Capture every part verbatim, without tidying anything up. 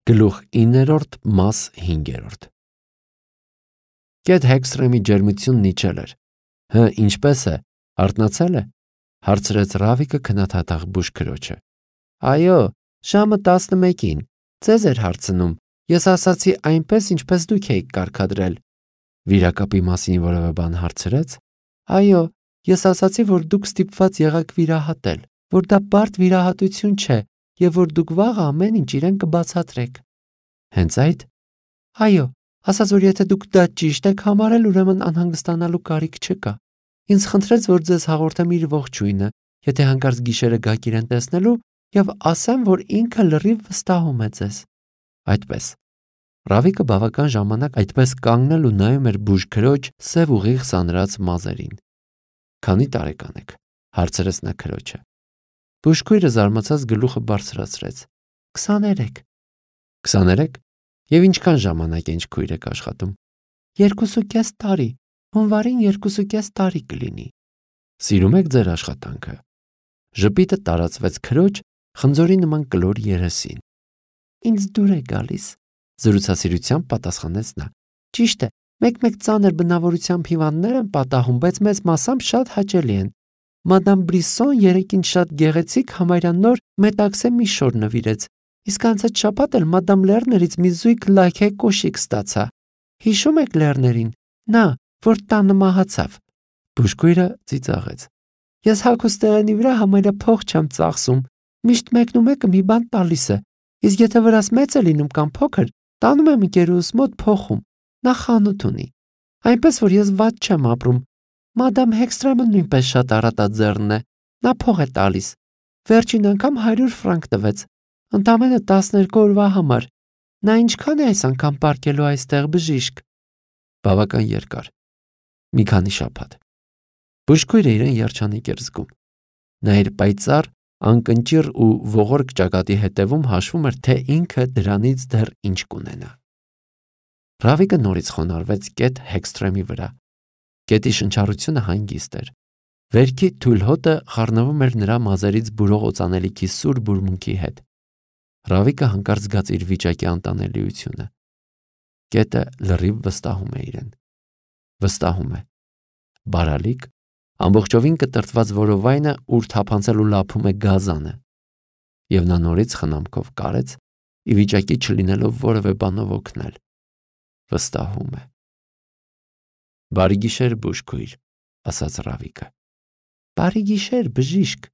Գլուխ իններորդ մաս հինգերորդ Կետ Հեքսթրեմի ջերմությունն իջել էր։ Հը, ինչպես է, արթնացել է, հարցրեց Ռավիկը քննադատող բուժքրոջը։ Այո, ժամը տասնմեկին, ձեզ էր հարցնում, ես ասացի այնպես, ինչպես դուք էիք կարգադրել։ Վիրակապի մասին որևէ բան հարցրեց։ Այո, ես ասացի, որ դուք ստիպված եղաք վիրահատել, որ դա բարդ վիրահատություն չէ և որ դուք վաղը ամեն ինչ իրեն կբացատրեք։ Հենց այդ։ Այո, ասաց, որ եթե դուք դա ճիշտ եք համարել, ուրեմն անհանգստանալու կարիք չկա։ Ինձ խնդրեց, որ ձեզ հաղորդեմ իր ողջույնը, եթե հանկարծ գիշերը գաք իրեն տեսնելու և ասեմ, որ ինքը լրիվ վստահում է ձեզ։ Այդպես։ Ռավիկը բավական ժամանակ այդպես կանգնել ու նայում էր բուժքրոջ սև ուղիղ սանրած մազերին։ Քանի տարեկան եք, հարցրեց նա քրոջը։ Բուժքույրը զարմացած գլուխը բարձրացրեց։ Քսաներեք։ Քսաներեք։ Եվ ինչքան ժամանակ ինչ քույր եք աշխատում։ Երկուսուկես տարի, հունվարին երկուսուկես տարի կլինի։ Սիրում եք ձեր աշխատանքը։ Ժպիտը տարածվեց քրոջ խնձորի նման կլոր երեսին։ Ինձ դուր է գալիս, զրուցասիրությամբ պատասխանեց նա։ Ճիշտ է, մեկ-մեկ ծանր բնավորությամբ հիվանդներ են պատահում, բայց մեծ մասամբ շատ հաճելի են։ Մադամ Բրիսոն երեքին շատ գեղեցիկ համարյա նոր մետաքսե մի շոր նվիրեց, իսկ անցած շաբաթ էլ մադամ Լերներից մի զույգ լաքե կոշիկ ստացա։ Հիշում եք Լերներին, նա, որ տանը մահացավ։ Բուժքույրը ծիծաղեց։ Ես հագուստեղենի վրա համարյա փող չեմ ծախսում, միշտ մեկն ու մեկը մի բան տալիս է, իսկ եթե վրաս մեծ է լինում կամ փոքր, տանում եմ ընկերուս մոտ փոխում, նա խանութ ունի։ Այնպես որ ես վատ չեմ ապրում։ Մադամ Հեքսթրեմը նույնպես շատ առատաձեռն է, նա փող է տալիս։ Վերջին անգամ հարյուր ֆրանկ տվեց, ընդամենը տասներկու օրվա համար։ Նա ինչքան է այս անգամ պարկելու այստեղ բժիշկ։ Բավական երկար։ Մի քանի շաբաթ։ Բուժքույրը իրեն երջանիկ էր զգում։ Նա իր պայծառ, անկնճիռ ու ողորկ ճակատի հետևում հաշվում էր, թե ինքը դրանից դեռ ինչ կունենա։ Ռավիկը նորից խոնարհվեց Կետ Հեքսթրեմի վրա։ Կետի շնչառությունը հանգիստ էր։ Վերքի թույլ հոտը խառնվում էր նրա մազերից բուրող օծանելիքի սուր բուրմունքի հետ։ Ռավիկը հանկարծ զգաց իր վիճակի անտանելիությունը։ Կետը լրիվ վստահում է իրեն։ Վստահում է։ Բարալիկ, ամբողջովին կտրտված որովայնը, ուր թափանցել ու լափում է գազանը։ Եվ նա նորից խնամքով կարեց, ի վիճակի չլինելով որևէ բանով օգնել։ Վստահում է։ Բարի գիշեր, բուժքույր, ասաց Ռավիկը։ Բարի գիշեր, բժիշկ։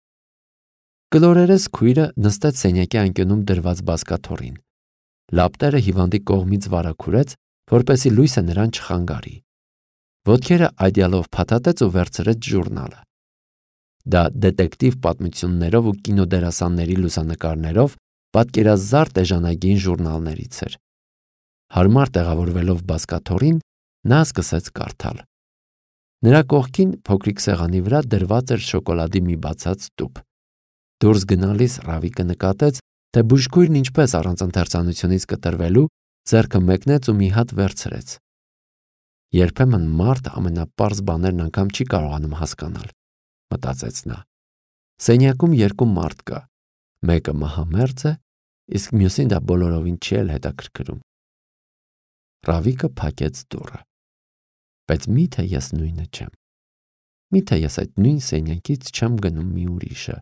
Կլորերես քույրը նստեց սենյակի անկյունում դրված բազկաթոռին։ Լապտերը հիվանդի կողմից վարագուրեց, որպեսզի լույսը նրան չխանգարի։ Ոտքերը այդյալով փաթաթեց ու վերցրեց ժուրնալը։ Դա դետեկտիվ պատմություններով ու կինոդերասանների լուսանկարներով պատկերազարդ էժանագին ժուրնալներից էր։ Հարմար տեղավորվելով բազկաթոռին, նա սկսեց կարդալ։ Նրա կողքին փոքրիկ սեղանի վրա դրված էր շոկոլադի մի բացած տուփ։ Դուրս գնալիս Ռավիկը նկատեց, թե բուժքույրն ինչպես առանց ընթերցանությունից կտրվելու ձեռքը մեկնեց ու մի հատ վերցրեց։ Երբեմն մարդ ամենապարզ բաներն անգամ չի կարողանում հասկանալ, մտածեց նա։ Սենյակում երկու մարդ կա, մեկը մահամերձ է, իսկ մյուսին դա բոլորովին չի էլ հետաքրքրում։ Ռավիկը փակեց դուռը։ Բայց միթե ես նույնը չեմ։ Միթե ես այդ նույն սենյակից չեմ գնում մի ուրիշը,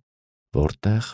որտեղ